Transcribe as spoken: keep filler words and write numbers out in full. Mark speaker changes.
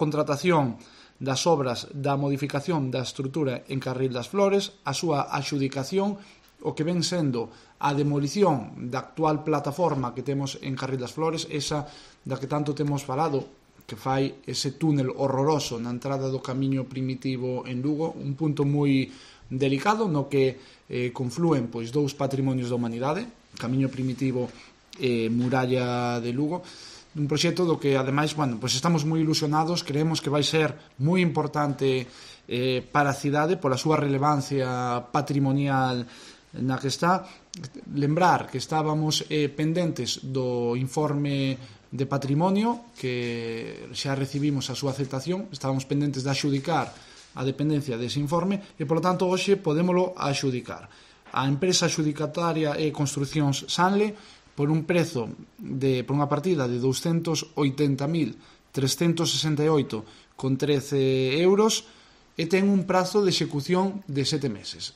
Speaker 1: contratación das obras da modificación da estrutura en Carril das Flores, a súa axudicación, o que ven sendo a demolición da actual plataforma que temos en Carril das Flores, esa da que tanto temos falado, que fai ese túnel horroroso na entrada do camiño primitivo en Lugo, un punto moi delicado no que eh, conflúen pois dous patrimonios da humanidade, camiño primitivo e muralla de Lugo, un proxecto do que ademais, bueno, pois estamos moi ilusionados, creemos que vai ser moi importante eh, para a cidade pola súa relevancia patrimonial na que está. Lembrar que estábamos eh, pendentes do informe de patrimonio, que xa recibimos a súa aceptación, estábamos pendentes de axudicar a dependencia dese informe e, polo tanto, hoxe podémolo axudicar. A empresa axudicataria é Construcións Sanle, por un prezo de, por unha partida de douscentos oitenta mil trescentos sesenta e oito con trece euros e ten un prazo de execución de sete meses.